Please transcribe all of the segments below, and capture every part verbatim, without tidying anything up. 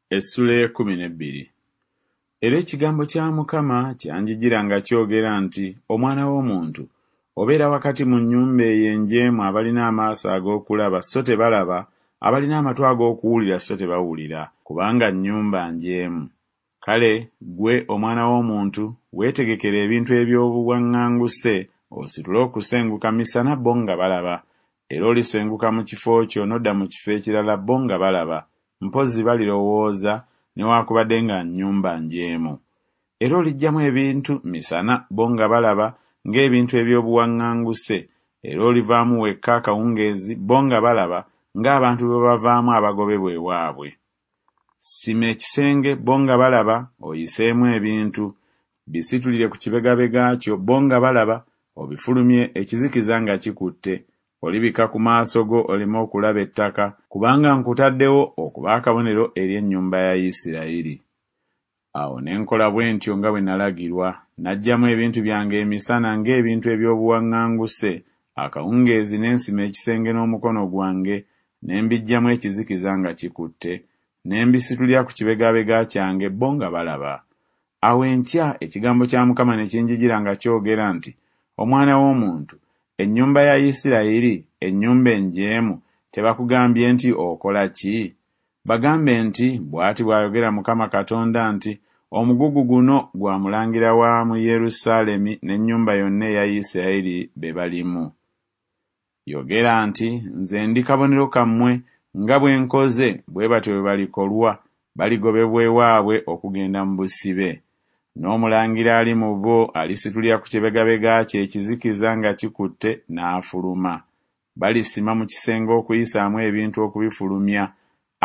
Essula ey'ekkumi n'ebbiri. Era ekigambo kya Mukama kyanjijira nga kyogera nti, Omwana w'omuntu, obeera wakati mu nnyumba eyo enjeemu abalina amaaso ag'okulaba so tebalaba, abalina amatu ag'okuwulira so tebawulira, kubanga nnyumba njeemu. Kale ggwe omwana w'omuntu, weetegekere ebintu eby'obuwaŋŋanguse, ositule okusenguka misana bo nga balaba, era olisenguka mu kifo kyo n'odda mu kifo ekirala bo nga balaba, mpozzi balirowooza newaakubadde nga nnyumba njeemu. Era oliggyamu ebintu misana bo nga balaba ng'ebintu eby'obuwaŋŋanguse, era olivaamu wekka akawungeezi bo nga balaba ng'abantu bwe bavaamu abagobebwa ewaabwe. Sima ekisenge bo nga balaba, oyiseemu ebintu, bisitulire ku kibegabega kyo bo nga balaba, obifulumye ekizikiza nga kikutte. Olibikka ku maaso go oleme okulaba ettaka, kubanga nkutaddewo okuba akabonero eri ennyumba ya Isirayiri. Awo ne nkola bwe ntyo nga bwe nalagirwa, naggyamu ebintu byange emisana ng'ebintu eby'obuwaŋŋanguse, akawungeezi ne nsima ekisenge n'omukono gwange, ne mbiggyamu ekizikiza nga kikutte, ne mbisitulira ku kibegabega kyange bo nga balaba. Awo enkya ekigambo kya Mukama ne kinjijira nga kyogera nti, Omwana w'omuntu, ennyumba ya Isirayiri, ennyumba enjeemu, tebakugambye nti okola ki? Bagambe nti, Bw'ati bw'ayogera Mukama Katonda nti, Omugugu guno gwa mulangira wa mu Yerusaalemi n'ennyumba yonna eya Isirayiri be balimu. Yogera nti, Nze ndi kabonero kammwe, nga bwe nkoze bwe batyo bwe balikolwa, baligobebwa ewaabwe okugenda mu busibe. N'omulangira ali mu bo alisitulira ku kibegabega kye ekizikiza nga kikutte n'afuluma. Balisima mu kisenge okuyisaamu ebintu okubifulumya,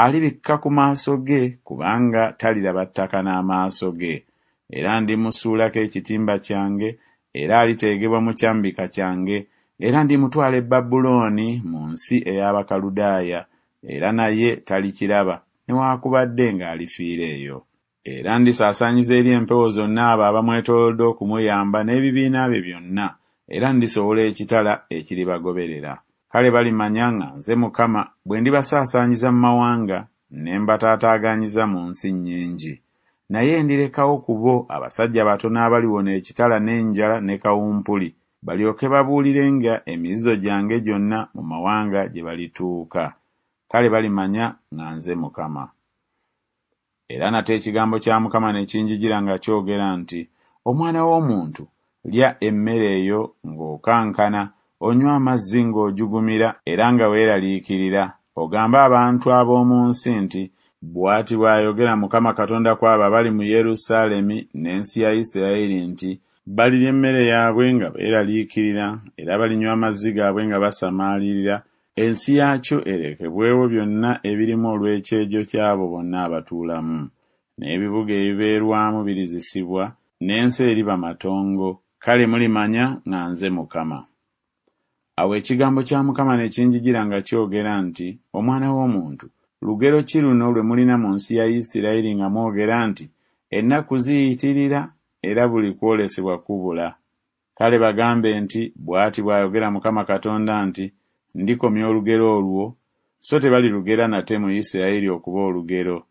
alibikka ku maaso ge kubanga taliraba ttaka n'amaaso ge. Era ndimusuulako ekitimba kyange, era aliteegebwa mu kyambika kyange, era ndimutwala e Babulooni mu nsi ey'Abakaludaaya, era naye talikiraba, newaakubadde ng'alifiira eyo. Era ndisaasaanyiza eri empewo zonna abo abamwetoolodde okumuyamba n'ebibiina bye byonna, era ndisowola ekitala ekiribagoberera. Kale balimanya nga nze Mukama bwe ndibasaasaanyiza mu mawanga, ne mbataataaganyiza mu nsi nnyingi. Naye ndirekawo ku bo abasajja batono abaliwona ekitala n'enjala ne kawumpuli, balyoke babuulirenga emizizo gyange gyonna mu mawanga gye balituuka. Kale balimanya nga nze Mukama. Era nate ekigambo kya Mukama ne kinjijira nga kyogera nti, Omwana w'omuntu, lya emmere eyo ng'okankana, onywe amazzi ng'ojugumira era nga weeraliikirira, ogambe abantu ab'omu nsi nti, Bw'ati bw'ayogera Mukama Katonda ku abo abali mu Yerusaalemi n'ensi ya Isirayiri nti, Balirya emmere yaabwe nga beeraliikirira, era balinywa amazzi gaabwe nga basamaalirira, ensi yaakyo erekebwewo byonna ebirimu olw'ekyejo ky'abo bonna abatuulamu. N'ebibuga ebibeerwamu birizisibwa, n'ensi eriba matongo. Kale mulimanya nga nze Mukama. Awo ekigambo kya Mukama ne kinjijira nga kyogera nti, Omwana w'omuntu, lugero ki luno lwe mulina mu nsi ya Isirayiri nga mwogera nti, Ennaku ziyitirira era buli kwolesebwa kubula? Kale bagambe nti, Bw'ati bw'ayogera Mukama Katonda nti, Ndikomya olugero olwo, so tebalirugera nate mu Isirayiri okuba olugero.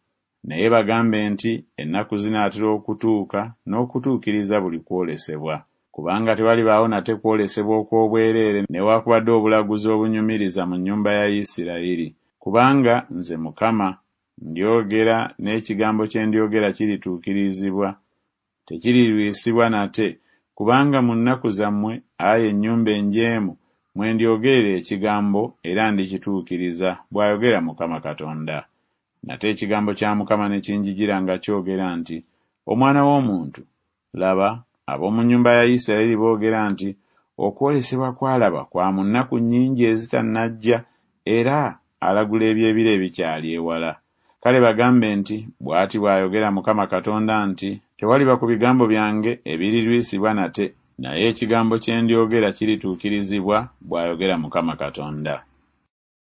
Naye bagambe nti, Ennaku zinaatera okutuuka n'okutuukiriza buli kwolesebwa. Kubanga tewalibaawo nate kwolesebwa okw'obwereere newaakubadde obulaguzi obunyumiriza mu nnyumba ya Isirayiri. Kubanga nze Mukama ndyogera, n'ekigambo kye ndyogera kirituukirizibwa, tekirirwisibwa nate, kubanga mu nnaku zammwe, ayi ennyumba enjeemu, mwe ndyogerera ekigambo era ndikituukiriza, bw'ayogera Mukama Katonda. Nate ekigambo kya Mukama ne kinjijira nga kyogera nti, Omwana w'omuntu, laba, ab'omu nnyumba ya Isirayiri boogera nti, Okwolesebwa kw'alaba kwa mu nnaku nnyingi ezitannajja, era alagula eby'ebiro ebikyali ewala. Kale bagambe nti, Bw'ati bw'ayogera Mukama Katonda nti, Tewaliba ku bigambo byange ebirirwisibwa nate, naye ekigambo kye ndyogera kirituukirizibwa, bw'ayogera Mukama Katonda.